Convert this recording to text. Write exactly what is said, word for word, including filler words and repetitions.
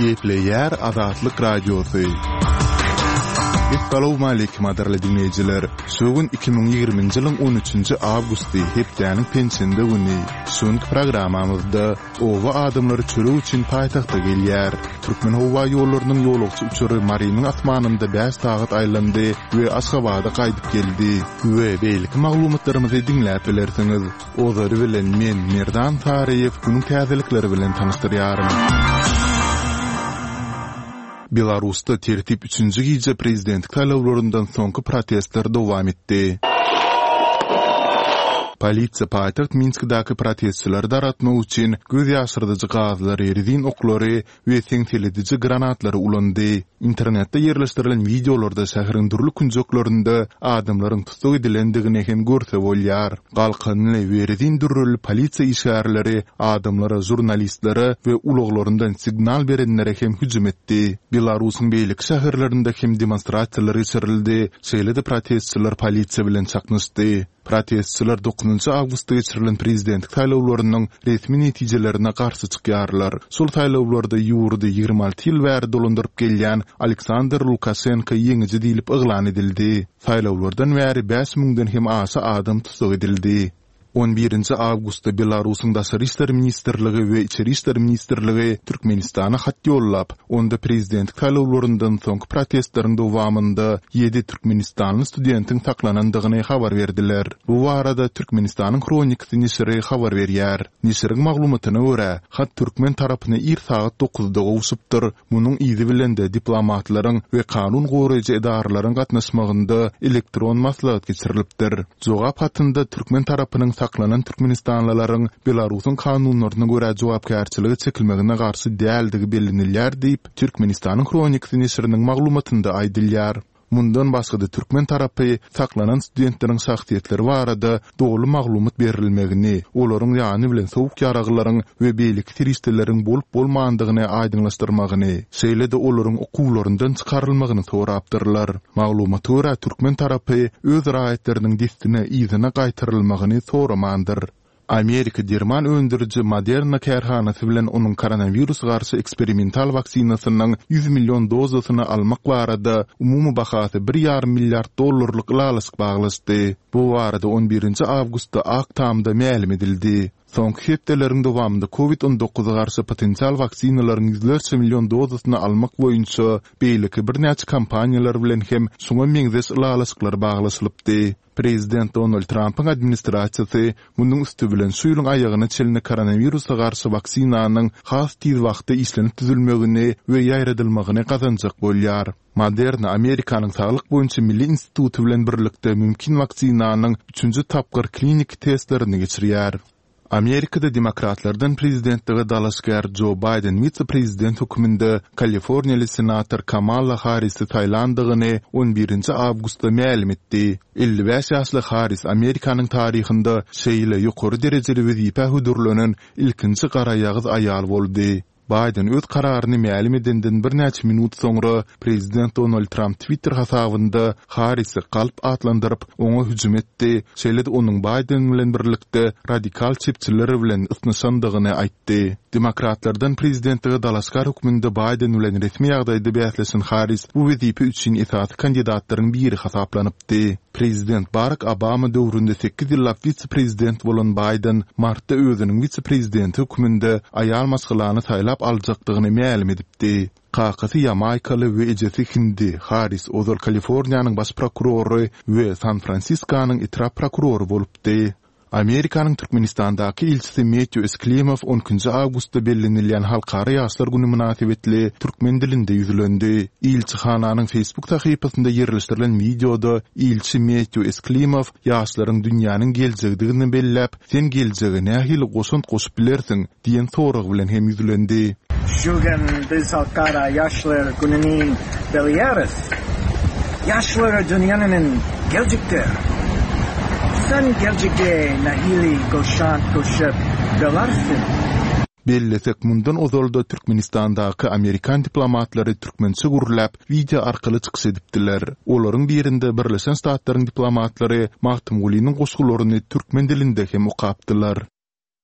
Gepleýär Azatlyk Radiosy. Essalawmaleýkim gadyrly diňleýjiler. Şu gün iki müň ýigriminji ýylyň on üçünji awgusty, hepdäniň penşenbe güni. Şu günki programmamyzda oba adamlary çörek üçin paýtagta gelýär. Türkmenhowaýollarynyň ýolagçy uçary Marynyň asmanynda bäş sagat aýlandy we Aşgabada gaýdyp geldi. We beýleki maglumatlarymyzy diňläp bilersiňiz. Ozary bilen men Merdan Saryýew günüň täzelikleri bilen tanyşdyrýaryn. Belarusda tertip üçünji gije prezidentlik saýlawlaryndan soňky protestler dowam etdi. Polisiýa paýtagt Minskdäki protestçileri daratmak üçin göz ýaşyrdyjy gazlary, rezin oklary we seňselediji granatlary ulandy. Internetde ýerleşdirilen wideolarda şäheriň dürli künjeklerinde adamlaryň tussag edilendigini hem görse bolýar. Galkanly we rezin dürreli polisiýa işgärleri adamlara, žurnalistlere we ulaglaryndan signal berenlere hem hüjüm etdi. Belarusyň beýleki şäherlerinde hem demonstrasiýalar geçirildi, şeýle-de protestçiler polisiýa bilen çaknyşdy. Protestçiler dokuzynjy awgustda geçirilen prezidentlik saýlawlarynyň resmi netijelerine garşy çykýarlar. Şol saýlawlarda ýurdy ýigrimi alty ýyl bäri dolandyryp gelýän Aleksandr Lukaşenko ýeňiji diýlip yglan edildi. Saýlawlardan bäri bäş müňden hem aşa adam tussag edildi. On birinji awgustda Belarusyň Daşary işler ministrligi we Içeri işler ministrligi Türkmenistana hat ýollap, onda prezidentlik saýlawlaryndan soňky protestleriň dowamynda ýedi türkmenistanly studentiň saklanandygyny habar berdiler. Bu barada Türkmenistanyň Hronikasy neşiri habar berýär. Neşiriň maglumatyna görä, hat türkmen tarapyna ir sagat dokuzda gowşupdyr. Munuň yzy bilen-de diplomatlaryň we kanun goraýjy edaralaryň gatnaşmagynda elektron maslahat geçirilipdir. Jogap hatynda türkmen tarapynyň saklanan türkmenistanlylaryň Belarusyň kanunlaryna görä jogapkärçilige çekilmegine garşy däldigi bellenilýär diýip, Türkmenistanyň Hronikasy neşiriniň maglumatynda aýdylýar. Mundan başga-da türkmen tarapy saklanan studentleriň şahsyýetleri barada doly maglumat berilmegini, olaryň ýany bilen sowuk ýaraglaryň we beýleki serişdeleriň bolup-bolmandygyny aýdyňlaşdyrmagyny, şeýle-de olaryň okuwlaryndan çykarylmagyny sorapdyrlar. Maglumata görä, türkmen tarapy öz raýatlarynyň dessine yzyna gaýtarylmagyny soramandyr. Amerika derman öndüriji Moderna kärhanasy bilen onuň koronawirus garşy eksperimental waksinasynyň ýüz million dozasyny almak barada umumy bahasy bir ýarym milliard dollarlyk ylalaşyk baglaşdy. Bu barada on birinji awgustda Ak Tamda mälim edildi. Soňky hepdeleriň dowamynda kovid on dokuza garşy potensial waksinalaryň ýüzlerçe million dozasyny almak boýunça beýleki birnäçe kompaniýalar bilen hem şuňa meňzeş ylalaşyklar baglaşylypdy. Prezident Donald Trampyň administrasiýasy munuň üsti bilen şu ýylyň aýagyna çenli koronawirusa garşy waksinanyň has tiz wagtda işlenip düzülmegini we ýaýradylmagyny gazanjak bolýar. Moderna Amerikanyň Saglyk boýunça milli instituty bilen birlikde mümkin waksinanyň üçünji tapgyr kliniki testlerini geçirýär. Amerikada demokratlardan prezidentlige dalaşgär Jo Baýden wise-prezident hökmünde kaliforniýaly senator Kamala Harrisi saýlandygyny on birinji awgustda mälim etdi. Elli bäş ýaşly Harris Amerikanyň taryhynda şeýle ýokary derejeli wezipä hödürlenen ilkinji garaýagyz aýal boldy. Baýden öz kararyny mälim edenden birnäçe minut soňra prezident Donald Tramp Twitter hasabynda Harrisi galp atlandyryp, oňa hüjüm etdi, şeýle-de onuň Baýden bilen birlikde radikal çepçiler bilen ysnyşandygyny aýtdy. Demokratlardan prezidentlige dalaşgär hökmünde Baýden bilen resmi ýagdaýda bäsleşen Harris bu wezipe üçin esasy kandidatlaryň biri hasaplanypdy. Prezident Barak Obama döwründe sekiz ýyllap wise-prezident bolan Baýden martda özüniň wise-prezidenti hökmünde aýal maşgalany saýlap aljakdygyny mälim edipdi. Kakasy ýamaýkaly we ejesi hindi Harris ozal Kaliforniýanyň baş prokurory we San-Fransiskonyň etrap prokurory bolupdy. Amerikanyň Türkmenistandaky ilçisi Metýu Esklimow on ikinji awgustda bellenilýän Halkara ýaşlar güni mynasybetli türkmen dilinde ýüzlendi. Ilçihananyň Facebook sahypasynda ýerleşdirilen wideoda ilçi Metýu Esklimow ýaşlaryň dünýäniň geljegidigini belläp, Sen geljege nähili goşant goşup bilersiň? diýen sorag bilen hem ýüzlendi. Şu gün biz Halkara ýaşlar gününi belleýäris. Ýaşlar dünýäniň geljekdir. Sen geljege nähili goşant goşup bilersiň? Bellesek, mundan ozal-da Türkmenistandaky amerikan diplomatlary türkmençe gürläp, wideo arkaly çykyş edipdiler. Olaryň birinde Birleşen Ştatlaryň diplomatlary Magtymgulynyň goşgularyny türkmen dilinde hem okapdylar.